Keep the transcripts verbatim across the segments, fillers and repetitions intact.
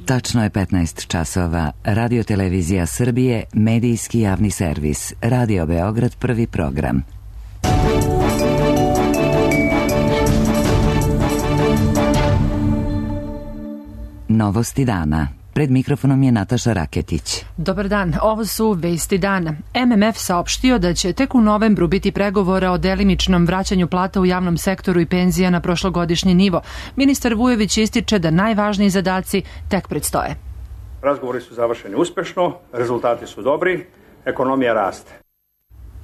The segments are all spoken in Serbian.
Tačno je petnaest časova. Radio Televizija Srbije, medijski javni servis. Radio Beograd, prvi program. Novosti dana. Pred mikrofonom je Nataša Raketić. Dobar dan, ovo su vesti dana. M M F saopštio da će tek u novembru biti pregovora o delimičnom vraćanju plata u javnom sektoru i penzija na prošlogodišnji nivo. Ministar Vujović ističe da najvažniji zadaci tek predstoje. Razgovori su završeni uspešno, rezultati su dobri, ekonomija raste.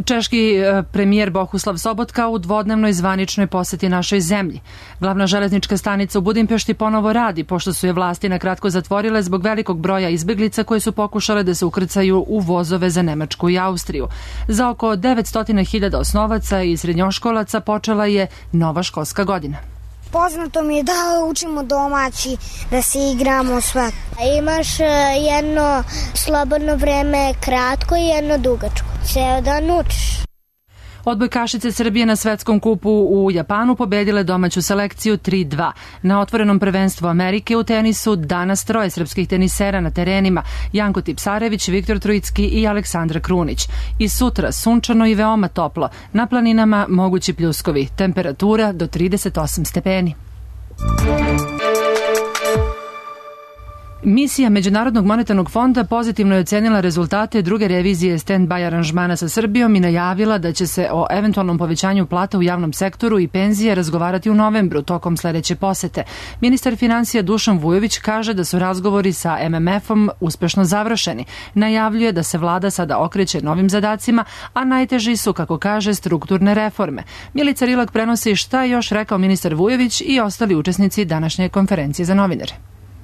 Češki premijer Bohuslav Sobotka u dvodnevnoj zvaničnoj poseti našoj zemlji. Glavna železnička stanica u Budimpešti ponovo radi, pošto su je vlasti nakratko zatvorile zbog velikog broja izbeglica koje su pokušale da se ukrcaju u vozove za Nemačku i Austriju. Za oko devetsto hiljada osnovaca i srednjoškolaca počela je nova školska godina. Poznato mi je da učimo domaći, da se igramo sve. Imaš jedno slobodno vreme kratko i jedno dugačko. Ceo dan učiš. Odbojkašice Srbije na svetskom kupu u Japanu pobedile domaću selekciju tri dva. Na otvorenom prvenstvu Amerike u tenisu danas troje srpskih tenisera na terenima: Janko Tipsarević, Viktor Trojicki i Aleksandra Krunić. I sutra sunčano i veoma toplo. Na planinama mogući pljuskovi. Temperatura do trideset osam stepeni. Misija Međunarodnog monetarnog fonda pozitivno je ocenila rezultate druge revizije stand-by aranžmana sa Srbijom i najavila da će se o eventualnom povećanju plata u javnom sektoru i penzije razgovarati u novembru tokom sledeće posete. Ministar finansija Dušan Vujović kaže da su razgovori sa M M F-om uspešno završeni. Najavljuje da se vlada sada okreće novim zadacima, a najteži su, kako kaže, strukturne reforme. Milica Rilak prenosi šta je još rekao ministar Vujović i ostali učesnici današnje konferencije za novinare.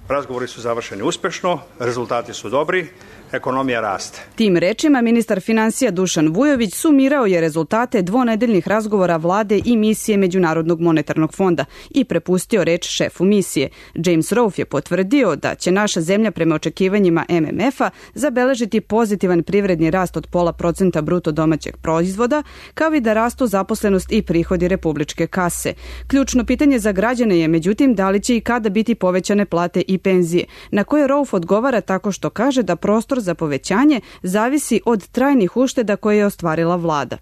Razgovori su završeni uspešno, rezultati su dobri, ekonomija raste. Tim rečima ministar finansija Dušan Vujović sumirao je rezultate dvonedeljnih razgovora vlade i misije Međunarodnog monetarnog fonda i prepustio reč šefu misije. James Rolfe je potvrdio da će naša zemlja prema očekivanjima M M F-a zabeležiti pozitivan privredni rast od pola procenta bruto domaćeg proizvoda, kao i da rastu zaposlenost i prihodi republičke kase. Ključno pitanje za građane je, međutim, da li će i kada biti povećane plate i penzije, na koje Rolfe odgovara tako što kaže da prostor za povećanje zavisi od trajnih ušteda koje je ostvarila vlada.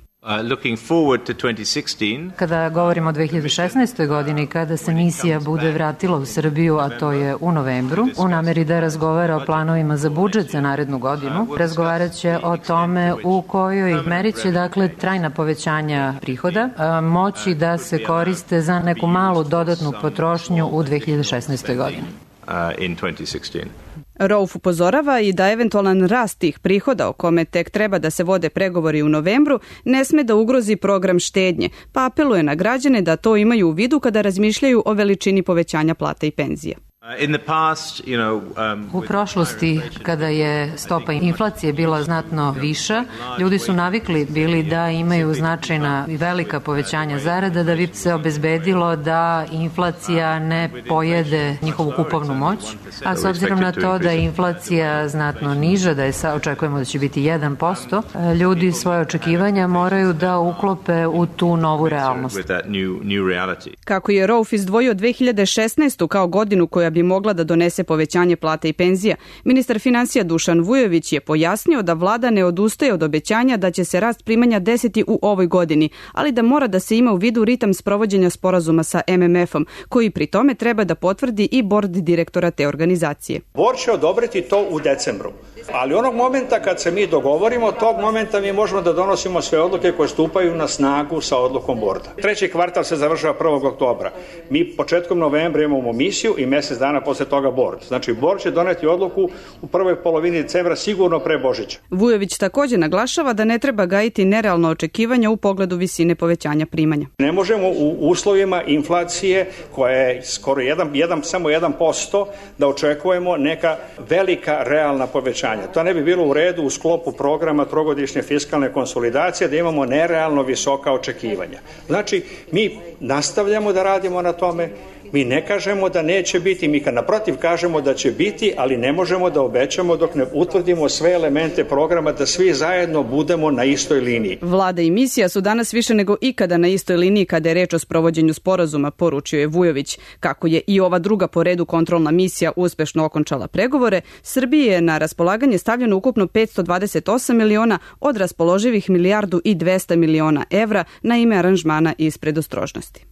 Kada govorimo o dve hiljade šesnaestoj. godini, kada se misija bude vratila u Srbiju, a to je u novembru, u nameri da razgovara o planovima za budžet za narednu godinu, razgovarat će o tome u kojoj meri će, dakle, trajna povećanja prihoda moći da se koriste za neku malu dodatnu potrošnju u dve hiljade šesnaestoj. godini. Rolfe upozorava i da eventualan rast tih prihoda, o kome tek treba da se vode pregovori u novembru, ne sme da ugrozi program štednje, pa apeluje na građane da to imaju u vidu kada razmišljaju o veličini povećanja plata i penzija. U prošlosti, kada je stopa inflacije bila znatno viša, ljudi su navikli bili da imaju značajna i velika povećanja zarada da bi se obezbedilo da inflacija ne pojede njihovu kupovnu moć, a s obzirom na to da je inflacija znatno niža, da je sa, očekujemo da će biti jedan posto, ljudi svoje očekivanja moraju da uklope u tu novu realnost. Kako je Rolfe izdvojio dve hiljade šesnaestu. kao godinu koja bi mogla da donese povećanje plata i penzija, ministar finansija Dušan Vujović je pojasnio da vlada ne odustaje od obećanja da će se rast primanja desiti u ovoj godini, ali da mora da se ima u vidu ritam sprovođenja sporazuma sa M M F-om, koji pri tome treba da potvrdi i bord direktora te organizacije. Bord će odobriti to u decembru, ali onog momenta kad se mi dogovorimo, tog momenta mi možemo da donosimo sve odluke koje stupaju na snagu sa odlukom borda. Treći kvartal se završava prvog oktobra. Mi početkom novembra imamo misiju i mesec dana posle toga bord. Znači, bord će doneti odluku u prvoj polovini decembra, sigurno pre Božića. Vujović takođe naglašava da ne treba gajiti nerealno očekivanja u pogledu visine povećanja primanja. Ne možemo u uslovima inflacije koja je skoro jedan, jedan, samo jedan posto da očekujemo neka velika realna povećanja. To ne bi bilo u redu u sklopu programa trogodišnje fiskalne konsolidacije da imamo nerealno visoka očekivanja. Znači, mi nastavljamo da radimo na tome, Mi ne kažemo da neće biti, mi kad naprotiv kažemo da će biti, ali ne možemo da obećamo dok ne utvrdimo sve elemente programa da svi zajedno budemo na istoj liniji. Vlada i misija su danas više nego ikada na istoj liniji kada je reč o sprovođenju sporazuma, poručio je Vujović. Kako je i ova druga po redu kontrolna misija uspešno okončala pregovore, Srbiji je na raspolaganje stavljeno ukupno petsto dvadeset osam miliona od raspoloživih milijardu i dvesta miliona evra na ime aranžmana iz predostrožnosti.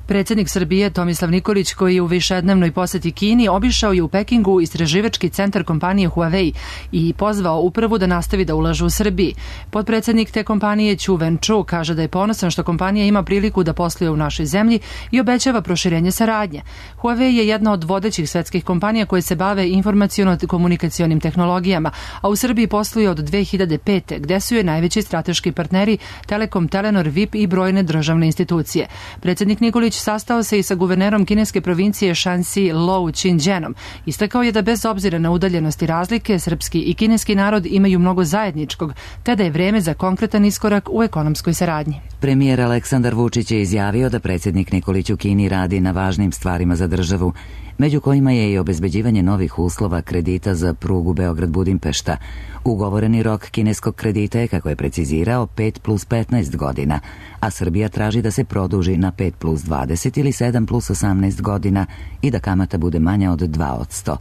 Predsjednik Srbije Tomislav Nikolić, koji je u višednevnoj poseti Kini, obišao je u Pekingu istraživački centar kompanije Huawei i pozvao upravu da nastavi da ulaže u Srbiji. Potpredsjednik te kompanije Chu Wen-chu kaže da je ponosan što kompanija ima priliku da posluje u našoj zemlji i obećava proširenje saradnje. Huawei je jedna od vodećih svetskih kompanija koje se bave informaciono-komunikacionim tehnologijama, a u Srbiji posluje od dve hiljade pete. gde su je najveći strateški partneri Telekom, Telenor, V I P i brojne državne institucije. Predsjednik Nikolić sastao se i sa guvernerom kineske provincije Shanxi Lou Qingjianom. Istakao je da bez obzira na udaljenost i razlike, srpski i kineski narod imaju mnogo zajedničkog, te da je vreme za konkretan iskorak u ekonomskoj saradnji. Premijer Aleksandar Vučić je izjavio da predsjednik Nikolić u Kini radi na važnim stvarima za državu, među kojima je i obezbeđivanje novih uslova kredita za prugu Beograd-Budimpešta. Ugovoreni rok kineskog kredita je, kako je precizirao, pet plus petnaest godina, a Srbija traži da se produži na pet plus dvadeset ili sedam plus osamnaest godina i da kamata bude manja od dva posto.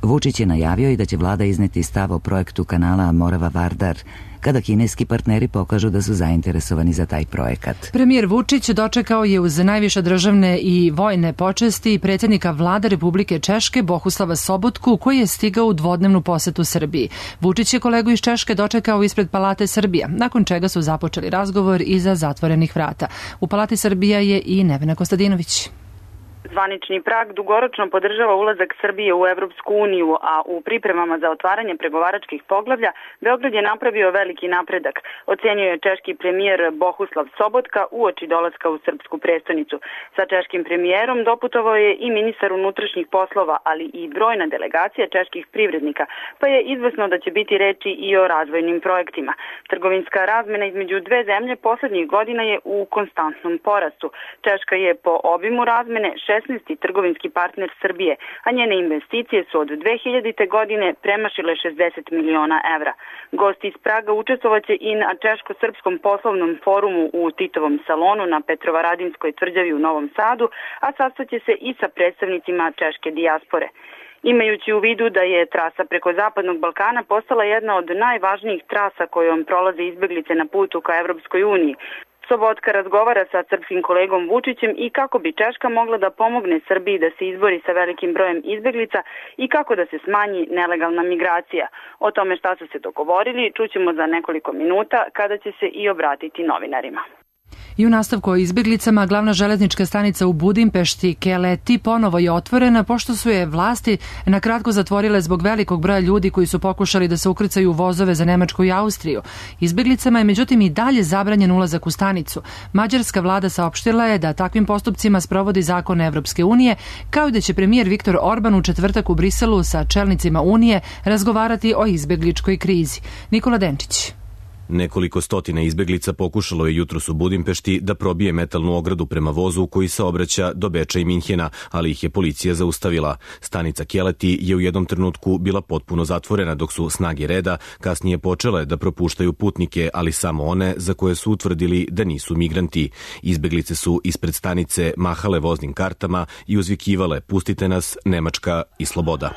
Vučić je najavio i da će vlada izneti stav o projektu kanala Morava-Vardar, kada kineski partneri pokažu da su zainteresovani za taj projekat. Premijer Vučić dočekao je uz najviše državne i vojne počesti predsjednika vlade Republike Češke Bohuslava Sobotku, koji je stigao u dvodnevnu posetu Srbiji. Vučić je kolegu iz Češke dočekao ispred Palate Srbija, nakon čega su započeli razgovor iza zatvorenih vrata. U Palati Srbija je i Nevena Kostadinović. Zvanični Prag dugoročno podržava ulazak Srbije u Evropsku uniju, a u pripremama za otvaranje pregovaračkih poglavlja Beograd je napravio veliki napredak, ocenio je češki premijer Bohuslav Sobotka uoči dolaska u srpsku prestonicu. Sa češkim premijerom doputovao je i ministar unutrašnjih poslova, ali i brojna delegacija čeških privrednika, pa je izvesno da će biti reči i o razvojnim projektima. Trgovinska razmena između dve zemlje poslednjih godina je u konstantnom porastu. Češka je po obimu razmene šesnaesti trgovinski partner Srbije, a njene investicije su od dve hiljadite. godine premašile šezdeset miliona evra. Gosti iz Praga učestvovaće i na češko-srpskom poslovnom forumu u Titovom salonu na Petrovaradinskoj tvrđavi u Novom Sadu, a sastaće se i sa predstavnicima češke dijaspore. Imajući u vidu da je trasa preko Zapadnog Balkana postala jedna od najvažnijih trasa kojom prolaze izbeglice na putu ka Evropskoj uniji, Sobotka razgovara sa srpskim kolegom Vučićem i kako bi Češka mogla da pomogne Srbiji da se izbori sa velikim brojem izbeglica i kako da se smanji nelegalna migracija. O tome šta su se dogovorili čućemo za nekoliko minuta kada će se i obratiti novinarima. I u nastavku o izbjeglicama, glavna železnička stanica u Budimpešti, Keleti, ponovo je otvorena pošto su je vlasti na kratko zatvorile zbog velikog broja ljudi koji su pokušali da se ukrcaju u vozove za Nemačku i Austriju. Izbjeglicama je međutim i dalje zabranjen ulazak u stanicu. Mađarska vlada saopštila je da takvim postupcima sprovodi zakon Evropske unije, kao i da će premijer Viktor Orban u četvrtak u Briselu sa čelnicima Unije razgovarati o izbjegličkoj krizi. Nikola Denčić. Nekoliko stotina izbeglica pokušalo je jutros u Budimpešti da probije metalnu ogradu prema vozu koji saobraća do Beča i Minhena, ali ih je policija zaustavila. Stanica Keleti je u jednom trenutku bila potpuno zatvorena dok su snage reda kasnije počele da propuštaju putnike, ali samo one za koje su utvrdili da nisu migranti. Izbeglice su ispred stanice mahale voznim kartama i uzvikivale "Pustite nas, Nemačka i sloboda".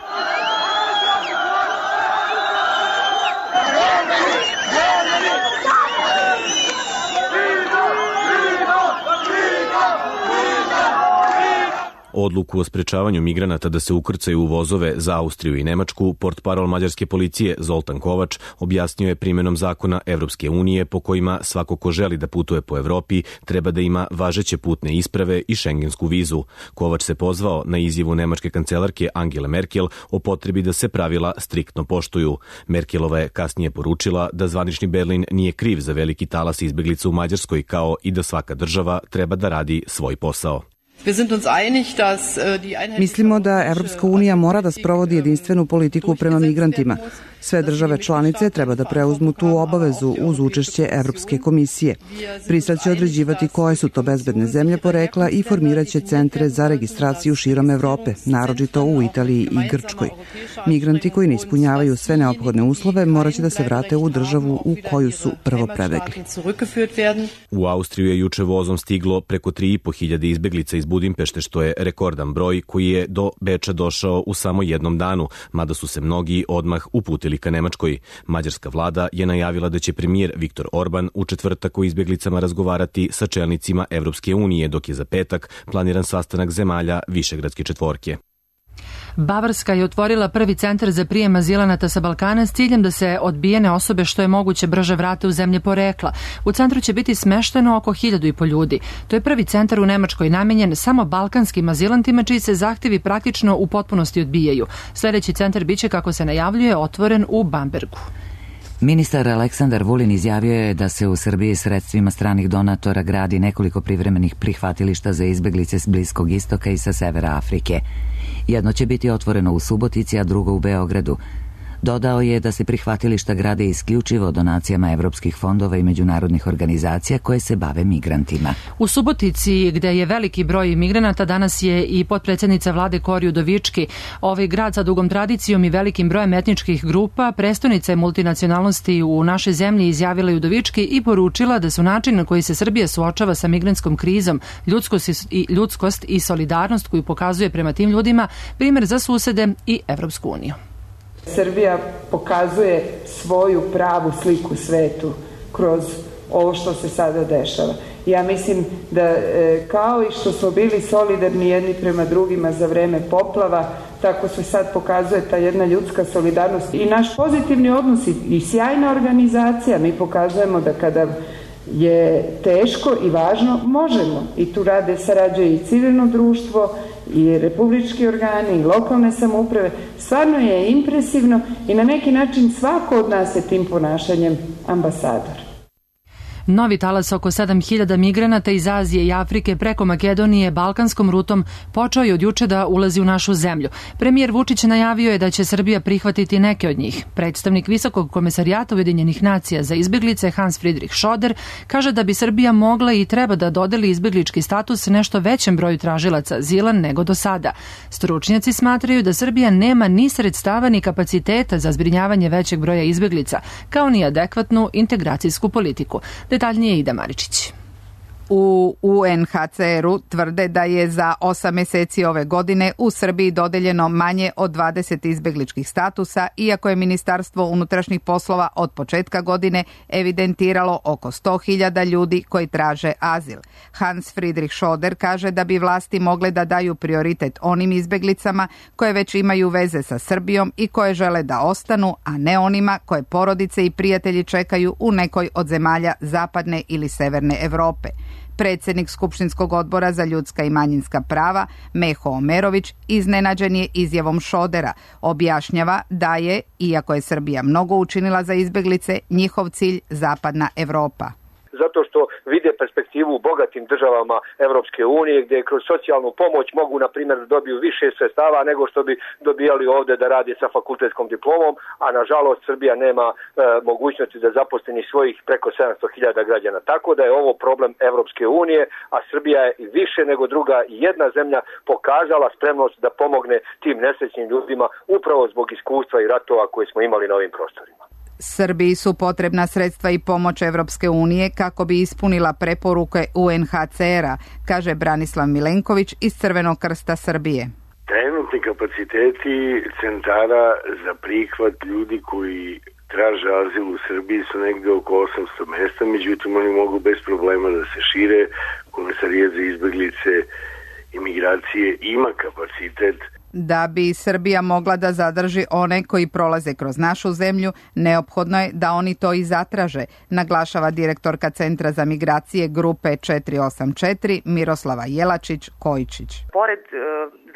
Odluku o sprečavanju migranata da se ukrcaju u vozove za Austriju i Nemačku, portparol mađarske policije Zoltan Kovač objasnio je primjenom zakona Evropske unije po kojima svako ko želi da putuje po Evropi treba da ima važeće putne isprave i šengensku vizu. Kovač se pozvao na izjavu nemačke kancelarke Angele Merkel o potrebi da se pravila striktno poštuju. Merkelova je kasnije poručila da zvanični Berlin nije kriv za veliki talas izbeglica u Mađarskoj, kao i da svaka država treba da radi svoj posao. Mislimo da Evropska unija mora da sprovodi jedinstvenu politiku prema migrantima. Sve države članice treba da preuzmu tu obavezu uz učešće Evropske komisije. Prisad će određivati koje su to bezbedne zemlje porekla i formiraće centre za registraciju širom Evrope, naročito u Italiji i Grčkoj. Migranti koji ne ispunjavaju sve neophodne uslove moraće da se vrate u državu u koju su prvo prebegli. U Austriju je juče vozom stiglo preko tri i po hiljade izbeglica iz Budimpešte, što je rekordan broj koji je do Beča došao u samo jednom danu, mada su se mnogi odmah uputili ka Nemačkoj. Mađarska vlada je najavila da će premijer Viktor Orban u četvrtak o izbeglicama razgovarati sa čelnicima Evropske unije, dok je za petak planiran sastanak zemalja Višegradske četvorke. Bavarska je otvorila prvi centar za prijem azilanata sa Balkana s ciljem da se odbijene osobe što je moguće brže vrate u zemlje porekla. U centru će biti smešteno oko hiljadu i po ljudi. To je prvi centar u Nemačkoj namenjen samo balkanskim azilantima čiji se zahtevi praktično u potpunosti odbijaju. Sljedeći centar biće, kako se najavljuje, otvoren u Bambergu. Ministar Aleksandar Vulin izjavio je da se u Srbiji sredstvima stranih donatora gradi nekoliko privremenih prihvatilišta za izbeglice s Bliskog istoka i sa severa Afrike. Jedno će biti otvoreno u Subotici, a drugo u Beogradu. Dodao je da se prihvatilišta grade isključivo donacijama evropskih fondova i međunarodnih organizacija koje se bave migrantima. U Subotici, gde je veliki broj migranata, danas je i potpredsjednica vlade Kori Udovički. Ovaj grad sa dugom tradicijom i velikim brojem etničkih grupa, prestonica je multinacionalnosti u našoj zemlji, izjavila Udovički i poručila da su način na koji se Srbija suočava sa migrantskom krizom, ljudskost i, ljudskost i solidarnost koju pokazuje prema tim ljudima, primjer za susede i Evropsku uniju. Srbija pokazuje svoju pravu sliku svetu kroz ovo što se sada dešava. Ja mislim da kao i što smo bili solidarni jedni prema drugima za vreme poplava, tako se sad pokazuje ta jedna ljudska solidarnost i naš pozitivni odnos i sjajna organizacija. Mi pokazujemo da kada je teško i važno, možemo. I tu rade, sarađuje i civilno društvo, i republički organi, i lokalne samouprave. Stvarno je impresivno i na neki način svako od nas je tim ponašanjem ambasador. Novi talas oko sedam hiljada migranata iz Azije i Afrike preko Makedonije balkanskom rutom počeo je od juče da ulazi u našu zemlju. Premijer Vučić najavio je da će Srbija prihvatiti neke od njih. Predstavnik Visokog komesarijata Ujedinjenih nacija za izbeglice Hans Friedrich Schoder kaže da bi Srbija mogla i treba da dodeli izbeglički status nešto većem broju tražilaca azila nego do sada. Stručnjaci smatraju da Srbija nema ni sredstava ni kapaciteta za zbrinjavanje većeg broja izbeglica, kao ni adekvatnu integracijsku politiku. Detaljnije Ida Maričić. U U N H C R-u tvrde da je za osam mjeseci ove godine u Srbiji dodeljeno manje od dvadeset izbegličkih statusa, iako je Ministarstvo unutrašnjih poslova od početka godine evidentiralo oko sto hiljada ljudi koji traže azil. Hans Friedrich Schoder kaže da bi vlasti mogle da daju prioritet onim izbeglicama koje već imaju veze sa Srbijom i koje žele da ostanu, a ne onima koje porodice i prijatelji čekaju u nekoj od zemalja zapadne ili severne Evrope. Predsjednik Skupštinskog odbora za ljudska i manjinska prava, Meho Omerović, iznenađen je izjavom Šodera. Objašnjava da je, iako je Srbija mnogo učinila za izbeglice, njihov cilj zapadna Evropa. Zato što vide perspektivu u bogatim državama Evropske unije, gdje kroz socijalnu pomoć mogu, na primjer, da dobiju više sredstava nego što bi dobijali ovdje da rade sa fakultetskom diplomom, a nažalost Srbija nema e, mogućnosti da zaposli ni svojih preko sedamsto hiljada građana. Tako da je ovo problem Evropske unije, a Srbija je više nego druga jedna zemlja pokazala spremnost da pomogne tim nesrećnim ljudima upravo zbog iskustva i ratova koje smo imali na ovim prostorima. Srbiji su potrebna sredstva i pomoć Evropske unije kako bi ispunila preporuke U N H C R-a, kaže Branislav Milenković iz Crvenog krsta Srbije. Trenutni kapaciteti centara za prihvat ljudi koji traže azil u Srbiji su negde oko osamsto mesta, međutim oni mogu bez problema da se šire. Komesarijat za izbeglice i migracije ima kapacitet. Da bi Srbija mogla da zadrži one koji prolaze kroz našu zemlju, neophodno je da oni to i zatraže, naglašava direktorka Centra za migracije grupe četiri osam četiri Miroslava Jelačić-Kojičić. Pored e,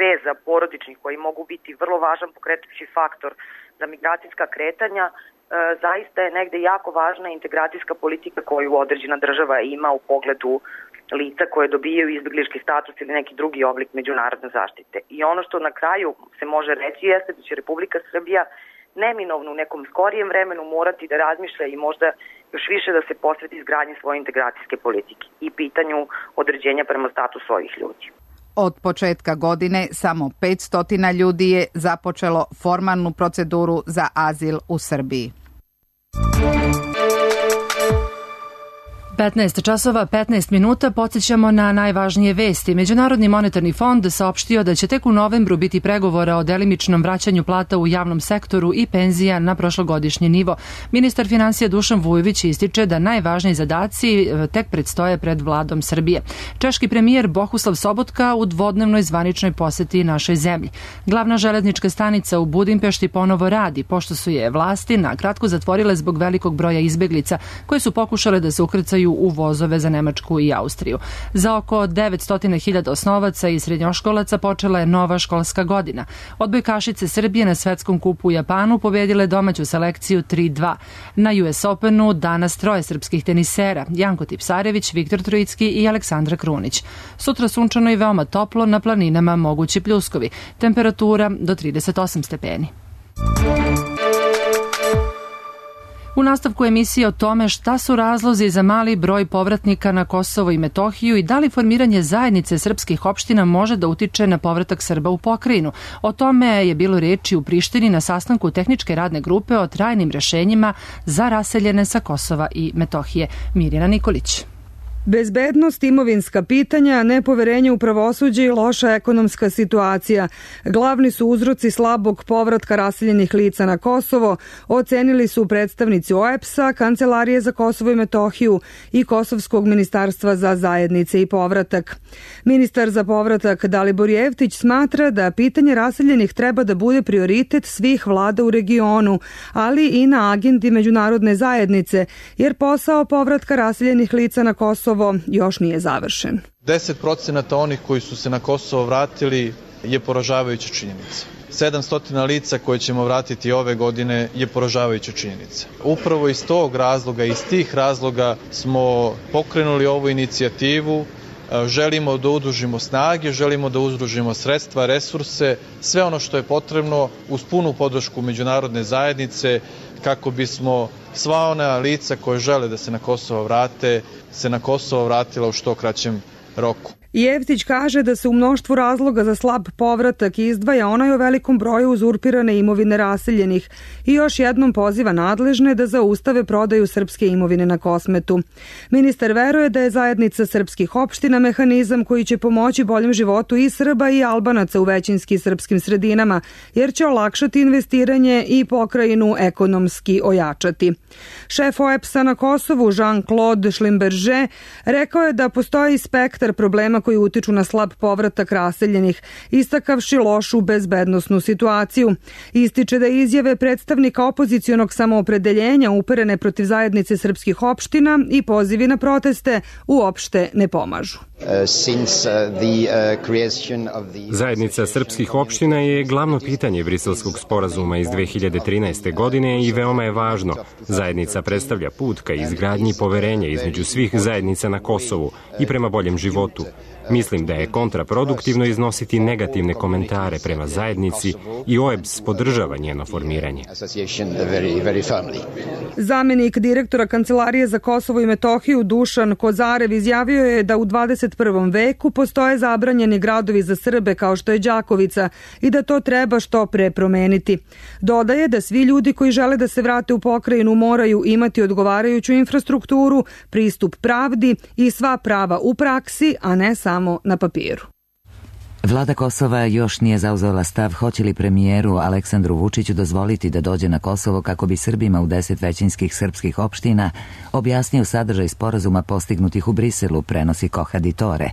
veza porodičnih koji mogu biti vrlo važan pokretajući faktor za migracijska kretanja, e, zaista je negde jako važna integracijska politika koju određena država ima u pogledu lica koje dobijaju izbeglički status ili neki drugi oblik međunarodne zaštite. I ono što na kraju se može reći jeste da će Republika Srbija neminovno u nekom skorijem vremenu morati da razmišlja i možda još više da se posveti izgradnji svoje integracijske politike i pitanju određenja prema statusu ovih ljudi. Od početka godine samo petsto ljudi je započelo formalnu proceduru za azil u Srbiji. petnaest časova petnaest minuta, podsjećamo na najvažnije vesti. Međunarodni monetarni fond saopštio da će tek u novembru biti pregovora o delimičnom vraćanju plata u javnom sektoru i penzija na prošlogodišnji nivo. Ministar finansija Dušan Vujović ističe da najvažniji zadaci tek predstoje pred vladom Srbije. Češki premijer Bohuslav Sobotka u dvodnevnoj zvaničnoj poseti našoj zemlji. Glavna železnička stanica u Budimpešti ponovo radi, pošto su je vlasti na kratko zatvorile zbog velikog broja izbeglica koje su pokušale da se ukrcaju u vozove za Nemačku i Austriju. Za oko devetsto hiljada osnovaca i srednjoškolaca počela je nova školska godina. Odbojkašice Srbije na svetskom kupu u Japanu pobedile domaću selekciju tri dva. Na U S Openu danas troje srpskih tenisera, Janko Tipsarević, Viktor Trojicki i Aleksandra Krunić. Sutra sunčano i veoma toplo, na planinama mogući pljuskovi. Temperatura do trideset osam stepeni. U nastavku emisije o tome šta su razlozi za mali broj povratnika na Kosovo i Metohiju i da li formiranje zajednice srpskih opština može da utiče na povratak Srba u pokrajinu. O tome je bilo reči u Prištini na sastanku tehničke radne grupe o trajnim rešenjima za raseljene sa Kosova i Metohije. Mirjana Nikolić. Bezbednost, imovinska pitanja, nepoverenje u pravosuđe i loša ekonomska situacija. Glavni su uzroci slabog povratka raseljenih lica na Kosovo, ocenili su predstavnici O E B S-a, Kancelarije za Kosovo i Metohiju i Kosovskog ministarstva za zajednice i povratak. Ministar za povratak Dalibor Jeftić smatra da pitanje raseljenih treba da bude prioritet svih vlada u regionu, ali i na agendi međunarodne zajednice, jer posao povratka raseljenih lica na Kosovo još nije završen. deset procenata onih koji su se na Kosovo vratili je poražavajuća činjenica. sedamsto lica koje ćemo vratiti ove godine je poražavajuća činjenica. Upravo iz tog razloga, iz tih razloga smo pokrenuli ovu inicijativu. Želimo da udružimo snage, želimo da udružimo sredstva, resurse, sve ono što je potrebno uz punu podršku međunarodne zajednice kako bismo sva ona lica koje žele da se na Kosovo vrate, se na Kosovo vratila u što kraćem roku. Jeftić kaže da se u mnoštvu razloga za slab povratak izdvaja onaj o velikom broju uzurpirane imovine raseljenih i još jednom poziva nadležne da zaustave prodaju srpske imovine na Kosmetu. Ministar veruje da je zajednica srpskih opština mehanizam koji će pomoći boljem životu i Srba i Albanaca u većinski srpskim sredinama, jer će olakšati investiranje i pokrajinu ekonomski ojačati. Šef O E B S-a na Kosovu Jean-Claude Schlimberger rekao je da postoji spektar problema koji utiču na slab povratak raseljenih, istakavši lošu bezbednosnu situaciju. Ističe da izjave predstavnika opozicionog samoopredeljenja uperene protiv zajednice srpskih opština i pozivi na proteste uopšte ne pomažu. Zajednica srpskih opština je glavno pitanje Briselskog sporazuma iz dve hiljade trinaeste. godine i veoma je važno. Zajednica predstavlja put ka izgradnji poverenja između svih zajednica na Kosovu i prema boljem životu. Mislim da je kontraproduktivno iznositi negativne komentare prema zajednici i O E B S podržava njeno formiranje. Zamenik direktora Kancelarije za Kosovo i Metohiju Dušan Kozarev izjavio je da u dvadeset prvom veku postoje zabranjeni gradovi za Srbe kao što je Đakovica i da to treba što pre promeniti. Dodaje da svi ljudi koji žele da se vrate u pokrajinu moraju imati odgovarajuću infrastrukturu, pristup pravdi i sva prava u praksi, a ne samo na papiru. Vlada Kosova još nije zauzela stav hoće li premijeru Aleksandru Vučiću dozvoliti da dođe na Kosovo kako bi Srbima u deset većinskih srpskih opština objasnio sadržaj sporazuma postignutih u Briselu, prenosi Kohad Tore.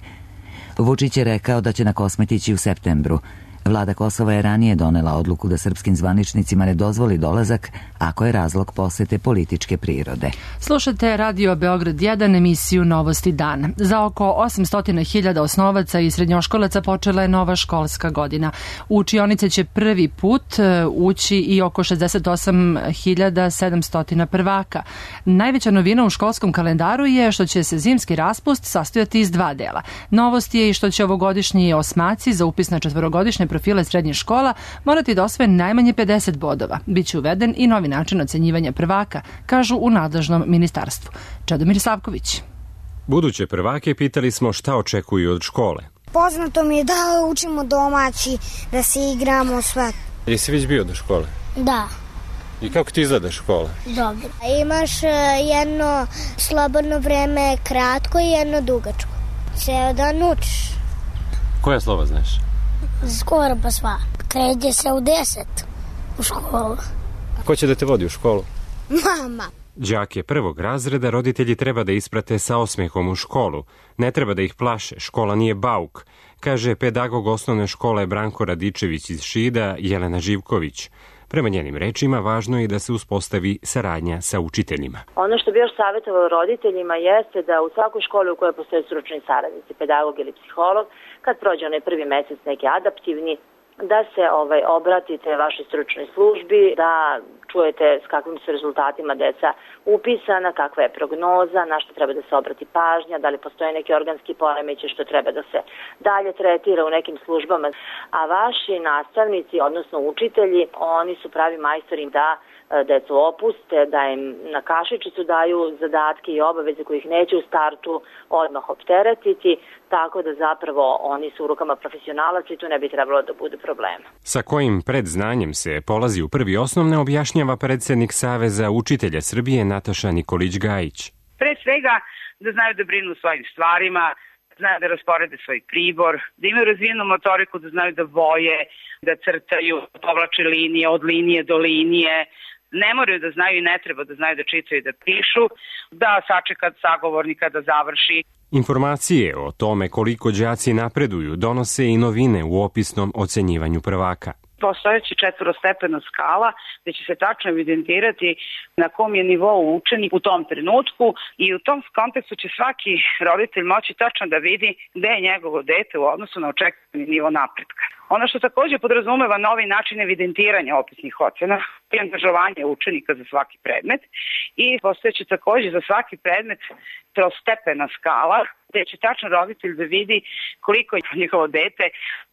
Vučić je rekao da će na Kosmet ići u septembru. Vlada Kosova je ranije donela odluku da srpskim zvaničnicima ne dozvoli dolazak ako je razlog posete političke prirode. Slušate Radio Beograd jedan, emisiju Novosti dana. Za oko osamsto hiljada osnovaca i srednjoškolaca počela je nova školska godina. U učionice će prvi put ući i oko šezdeset osam hiljada sedamsto prvaka. Najveća novina u školskom kalendaru je što će se zimski raspust sastojati iz dva dela. Novost je i što će ovogodišnji osmaci za upis na četvorogodišnje profesije profile srednjih škola morati da osvoje najmanje pedeset bodova. Biće uveden i novi način ocenjivanja prvaka, kažu u nadležnom ministarstvu. Čedomir Savković. Buduće prvake pitali smo šta očekuju od škole. Poznato mi je da učimo domaći, da se igramo sve. Jesi već bio do škole? Da. I kako ti izgleda škola? Dobro. Imaš jedno slobodno vreme kratko i jedno dugačko. Ceo dan učiš. Koja slova znaš? Skoro pa sva. Kreće se u deset u školu. Ko će da te vodi u školu? Mama. Đake prvog razreda roditelji treba da isprate sa osmehom u školu. Ne treba da ih plaše, škola nije bauk, kaže pedagog osnovne škole Branko Radičević iz Šida, Jelena Živković. Prema njenim rečima, važno je da se uspostavi saradnja sa učiteljima. Ono što bi još savjetovalo roditeljima jeste da u svakoj školi u kojoj postoje stručni saradnici, pedagog ili psiholog, kad prođe onaj prvi mesec neki adaptivni, da se ovaj, obratite vašoj stručnoj službi, da čujete s kakvim su rezultatima deca upisana, kakva je prognoza, na što treba da se obrati pažnja, da li postoje neki organski poremećaj što treba da se dalje tretira u nekim službama. A vaši nastavnici, odnosno učitelji, oni su pravi majstori da decu opuste, da im na kašičicu daju zadatke i obaveze kojih neće u startu odmah opteretiti, tako da zapravo oni su u rukama profesionalaca i tu ne bi trebalo da bude problema. Sa kojim predznanjem se polazi u prvi osnovne objašnjava predsednik Saveza učitelja Srbije Nataša Nikolić-Gajić. Pre svega da znaju da brinu o svojim stvarima, znaju da rasporede svoj pribor, da imaju razvijenu motoriku, da znaju da boje, da crtaju, povlače linije od linije do linije. Ne moraju da znaju i ne treba da znaju da čitaju i da pišu, da sačeka sagovornika da završi. Informacije o tome koliko đaci napreduju donose i novine u opisnom ocenjivanju prvaka. Postojeći četvorostepena skala gde će se tačno evidentirati na kom je nivou učenik u tom trenutku i u tom kontekstu će svaki roditelj moći tačno da vidi gde je njegovo dete u odnosu na očekivani nivo napretka. Ono što takođe podrazumeva novi način evidentiranja opisnih ocena i angažovanje učenika za svaki predmet i postojeće takođe za svaki predmet trostepena skala gde će tačno roditelj da vidi koliko je njihovo dete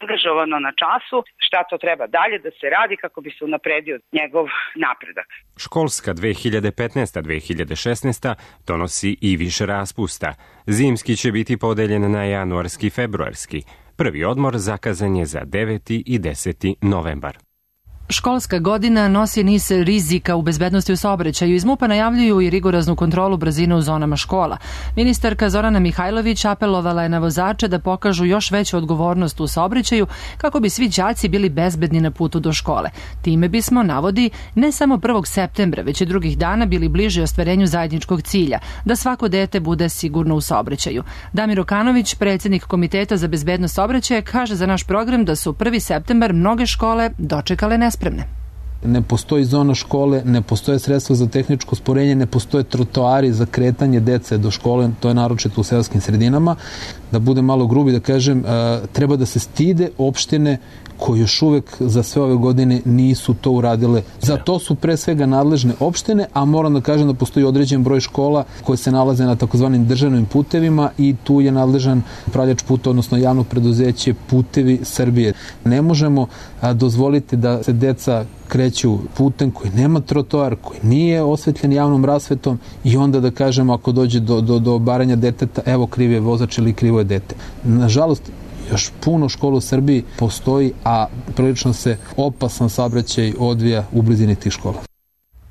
angažovano na času, šta to treba dalje da se radi kako bi se unapredio njegov napredak. Školska dve hiljade petnaesta dve hiljade šesnaesta donosi i više raspusta. Zimski će biti podeljen na januarski i februarski. Prvi odmor zakazan je za deveti i deseti novembar. Školska godina nosi niz rizika u bezbednosti u saobraćaju. Iz MUP-a najavljuju i rigoroznu kontrolu brzine u zonama škola. Ministarka Zorana Mihajlović apelovala je na vozače da pokažu još veću odgovornost u saobraćaju kako bi svi đaci bili bezbedni na putu do škole. Time bismo, navodi, ne samo prvog septembra, već i drugih dana bili bliži ostvarenju zajedničkog cilja, da svako dete bude sigurno u saobraćaju. Damir Okanović, predsjednik Komiteta za bezbednost saobraćaja, kaže za naš program da su prvi septembar mnoge škole dočekale nespremne. Ne postoji zona škole, ne postoje sredstva za tehničko sporenje, ne postoje trotoari za kretanje dece do škole, to je naročito u seoskim sredinama. Da bude malo grubi da kažem, treba da se stide opštine koji još uvek za sve ove godine nisu to uradile. Za to su pre svega nadležne opštine, a moram da kažem da postoji određen broj škola koje se nalaze na takozvanim državnim putevima i tu je nadležan upravljač puta, odnosno javno preduzeće Putevi Srbije. Ne možemo dozvoliti da se deca kreću putem koji nema trotoar, koji nije osvetljen javnom rasvetom i onda da kažemo ako dođe do, do, do obaranja deteta, evo kriv je vozač ili krivo je dete. Nažalost, još puno škola u Srbiji postoji, a prilično se opasan saobraćaj odvija u blizini tih škola.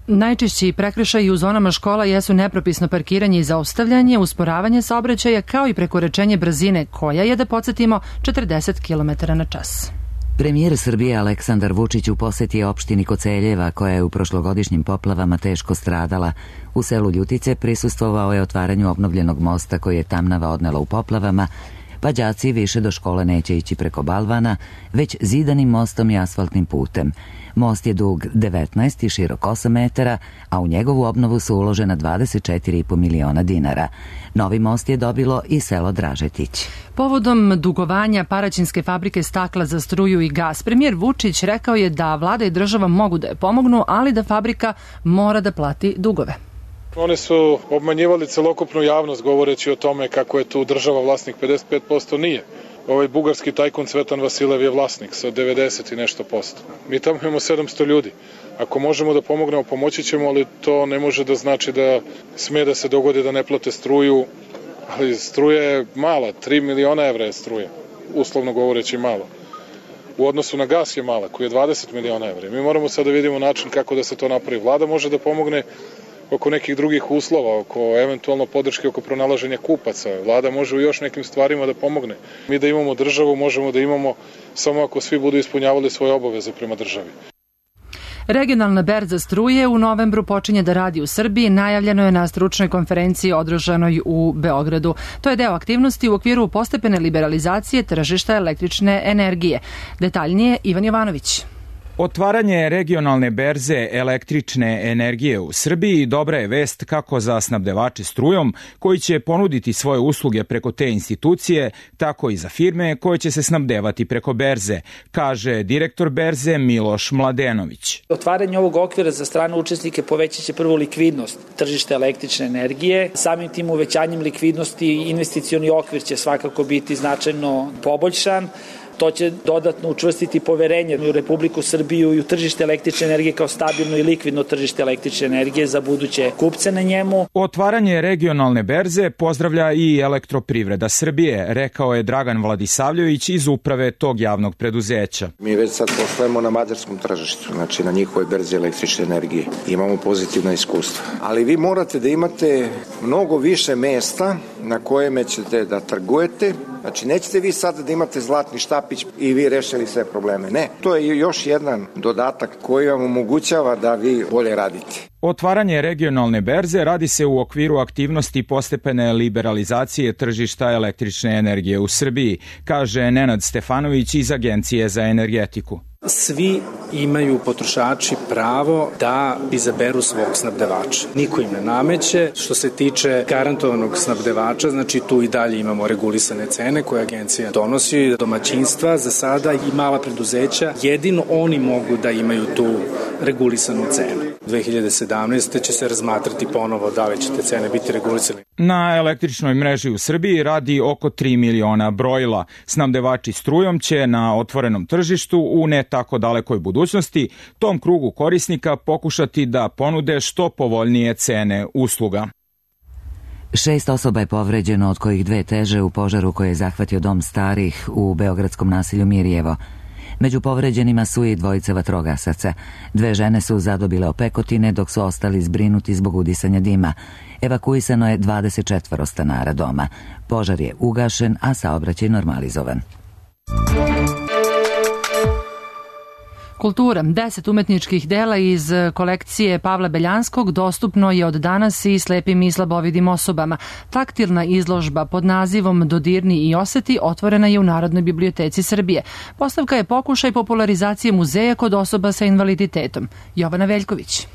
Najčešći prekršaji u zonama škola jesu nepropisno parkiranje i zaustavljanje, usporavanje saobraćaja kao i prekoračenje brzine koja je, da podsjetimo, četrdeset kilometara na čas. Premijer Srbije Aleksandar Vučić u poseti je opštini Koceljeva, koja je u prošlogodišnjim poplavama teško stradala. U selu Ljutice prisustvovao je otvaranju obnovljenog mosta koji je Tamnava odnela u poplavama, pa đaci više do škole neće ići preko balvana, već zidanim mostom i asfaltnim putem. Most je dug devetnaest i širok osam metara, a u njegovu obnovu su uložena dvadeset četiri i po miliona dinara. Novi most je dobilo i selo Dražetić. Povodom dugovanja Paraćinske fabrike stakla za struju i gas, premijer Vučić rekao je da vlada i država mogu da je pomognu, ali da fabrika mora da plati dugove. Oni su obmanjivali celokupnu javnost govoreći o tome kako je tu država vlasnik pedeset pet posto, nije. Ovaj bugarski tajkun Cvetan Vasilev je vlasnik sa devedeset i nešto posto. Mi tamo imamo sedamsto ljudi. Ako možemo da pomognemo, pomoći ćemo, ali to ne može da znači da sme da se dogodi da ne plate struju, ali struja je mala, tri miliona evra je struja, uslovno govoreći malo. U odnosu na gas je mala, koji je dvadeset miliona evra. Mi moramo sad da vidimo način kako da se to napravi. Vlada može da pomogne oko nekih drugih uslova, oko eventualno podrške oko pronalaženja kupaca. Vlada može u još nekim stvarima da pomogne. Mi da imamo državu možemo da imamo samo ako svi budu ispunjavali svoje obaveze prema državi. Regionalna berza struje u novembru počinje da radi u Srbiji, najavljeno je na stručnoj konferenciji održanoj u Beogradu. To je deo aktivnosti u okviru postepene liberalizacije tržišta električne energije. Detaljnije Ivan Jovanović. Otvaranje regionalne berze električne energije u Srbiji dobra je vest kako za snabdevače strujom koji će ponuditi svoje usluge preko te institucije, tako i za firme koje će se snabdevati preko berze, kaže direktor berze Miloš Mladenović. Otvaranje ovog okvira za strane učesnike povećat će prvo likvidnost tržišta električne energije. Samim tim uvećanjem likvidnosti investicioni okvir će svakako biti značajno poboljšan. To će dodatno učvrstiti poverenje u Republiku Srbiju i u tržište električne energije kao stabilno i likvidno tržište električne energije za buduće kupce na njemu. Otvaranje regionalne berze pozdravlja i Elektroprivreda Srbije, rekao je Dragan Vladisavljević iz uprave tog javnog preduzeća. Mi već sad poslujemo na mađarskom tržištu, znači na njihovoj berzi električne energije. Imamo pozitivna iskustva. Ali vi morate da imate mnogo više mesta na kojeme ćete da trgujete. Znači nećete vi sad da imate zlatni štapić i vi rešili sve probleme. Ne, to je još jedan dodatak koji vam omogućava da vi bolje radite. Otvaranje regionalne berze radi se u okviru aktivnosti postepene liberalizacije tržišta električne energije u Srbiji, kaže Nenad Stefanović iz Agencije za energetiku. Svi imaju potrošači pravo da izaberu svog snabdevača. Niko im ne nameće. Što se tiče garantovanog snabdevača, znači tu i dalje imamo regulisane cene koje agencija donosi. Domaćinstva za sada i mala preduzeća, jedino oni mogu da imaju tu regulisanu cenu. dve hiljade sedamnaeste. će se razmatrati ponovo da li će te cene biti regulisane. Na električnoj mreži u Srbiji radi oko tri miliona brojila. Snabdevači strujom će na otvorenom tržištu u ne tako dalekoj budućnosti tom krugu korisnika pokušati da ponude što povoljnije cene usluga. Šest osoba je povređeno, od kojih dve teže u požaru koji je zahvatio dom starih u beogradskom naselju Mirjevo. Među povređenima su i dvojica vatrogasaca. Dve žene su zadobile opekotine, dok su ostali zbrinuti zbog udisanja dima. Evakuisano je dvadeset četvoro stanara doma. Požar je ugašen, a saobraćaj normalizovan. Kultura. Deset umetničkih dela iz kolekcije Pavla Beljanskog dostupno je od danas i slepim i slabovidim osobama. Taktilna izložba pod nazivom Dodirni i oseti otvorena je u Narodnoj biblioteci Srbije. Postavka je pokušaj popularizacije muzeja kod osoba sa invaliditetom. Jovana Veljković.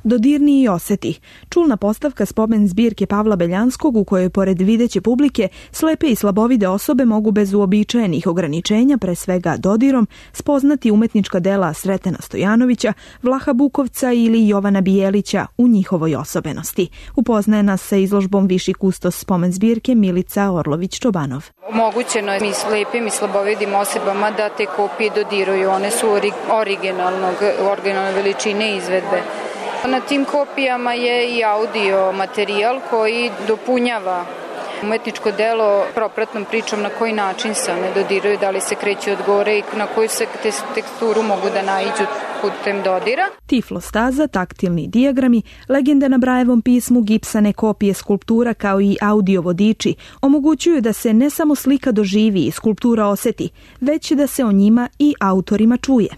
Dodirni i oseti. Čulna postavka spomen zbirke Pavla Beljanskog u kojoj pored videće publike slepe i slabovide osobe mogu bez uobičajenih ograničenja, pre svega dodirom, spoznati umetnička dela Sretena Stojanovića, Vlaha Bukovca ili Jovana Bijelića u njihovoj osobenosti. Upoznaje nas sa izložbom viši kustos spomen zbirke Milica Orlović-Čobanov. Omogućeno je i slepim i slabovidim osobama da te kopije dodiruju. One su originalnog, originalne veličine izvedbe. Na tim kopijama je i audio materijal koji dopunjava umetničko delo propratnom pričom na koji način se one dodiruju, da li se kreću od gore i na koju se teksturu mogu da naiđu putem dodira. Tiflostaza, taktilni dijagrami, legende na Brajevom pismu, gipsane kopije skulptura kao i audio vodiči omogućuju da se ne samo slika doživi i skulptura oseti, već da se o njima i autorima čuje.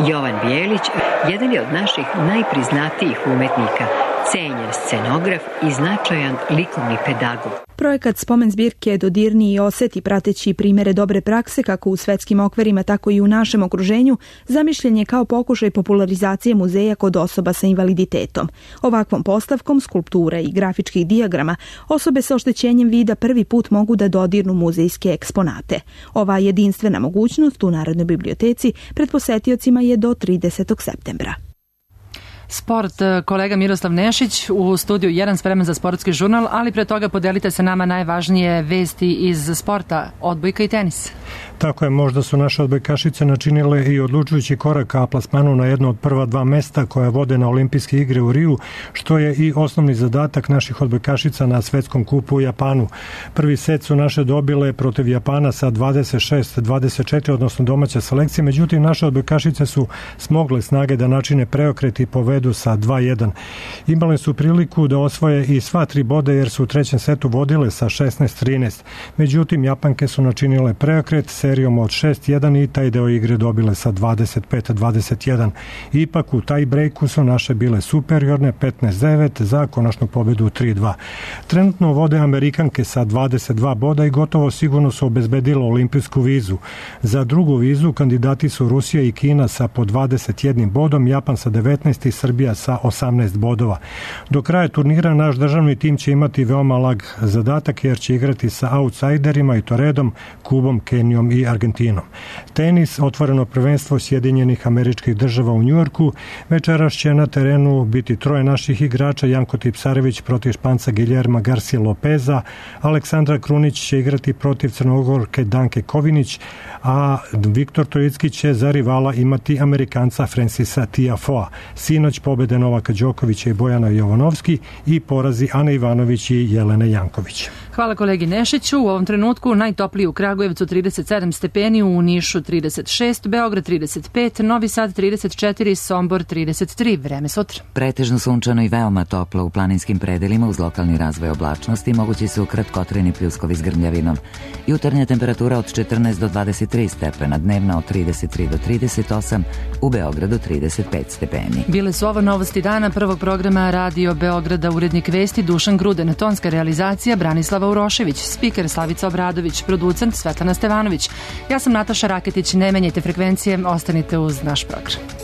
Jovan Bijelić, jedan je od naših najpriznatijih umetnika, cenjen scenograf i značajan likovni pedagog. Projekat spomen zbirke Dodirni i oseti, prateći primere dobre prakse kako u svetskim okvirima, tako i u našem okruženju, zamišljen je kao pokušaj popularizacije muzeja kod osoba sa invaliditetom. Ovakvom postavkom skulptura i grafičkih dijagrama osobe sa oštećenjem vida prvi put mogu da dodirnu muzejske eksponate. Ova jedinstvena mogućnost u Narodnoj biblioteci pred posetiocima je do tridesetog septembra. Sport, kolega Miroslav Nešić u studiju jedan spreman za sportski žurnal, ali pre toga podelite sa nama najvažnije vesti iz sporta, odbojka i tenis. Tako je, možda su naše odbojkašice načinile i odlučujući korak ka plasmanu na jedno od prva dva mesta koja vode na olimpijske igre u Riju, što je i osnovni zadatak naših odbojkašica na svetskom kupu u Japanu. Prvi set su naše dobile protiv Japana sa dvadeset šest dvadeset četiri, odnosno domaća selekcija, međutim naše odbojkašice su smogle snage da načine preokret i povedu sa dva jedan. Imale su priliku da osvoje i sva tri boda jer su u trećem setu vodile sa šesnaest trinaest. Međutim, Japanke su načinile preokret serijom od šest jedan i taj deo igre dobile sa dvadeset pet dvadeset jedan. Ipak u taj breaku su naše bile superiorne petnaest devet za konačnu pobedu tri dva. Trenutno vode Amerikanke sa dvadeset dva boda i gotovo sigurno su obezbedile olimpijsku vizu. Za drugu vizu kandidati su Rusija i Kina sa po dvadeset jednim bodom, Japan sa devetnaest i Srbija sa osamnaest bodova. Do kraja turnira naš državni tim će imati veoma lag zadatak jer će igrati sa outsiderima i to redom Kubom, Kenijom i Argentinom. Tenis, otvoreno prvenstvo Sjedinjenih Američkih Država u Njujorku, večeras će na terenu biti troje naših igrača, Janko Tipsarević protiv Španca Guillerma Garcia Lopeza, Aleksandra Krunić će igrati protiv Crnogorke Danke Kovinić, a Viktor Trojicki će za rivala imati Amerikanca Francisa Tiafoea. Sinoć pobede Novaka Đokovića i Bojana Jovanovski i porazi Ane Ivanović i Jelene Janković. Hvala kolegi Nešiću. U ovom trenutku najtopliji u Kragujevcu trideset sedam stepeni, u Nišu trideset šest, Beograd trideset pet, Novi Sad trideset četiri, Sombor trideset tri. Vreme sutra. Pretežno sunčano i veoma toplo u planinskim predelima uz lokalni razvoj oblačnosti, mogući su kratkotrajni pljuskovi s grmljavinom. Jutarnja temperatura od četrnaest do dvadeset tri stepena, dnevna od trideset tri do trideset osam, u Beogradu trideset pet stepeni. Bile su ovo novosti dana prvog programa Radio Beograda, urednik vesti Dušan Gruden, tonska realizacija Branislava Urošević, spiker Slavica Obradović, producent Svetlana Stevanović. Ja sam Nataša Raketić, ne menjajte frekvencije, ostanite uz naš program.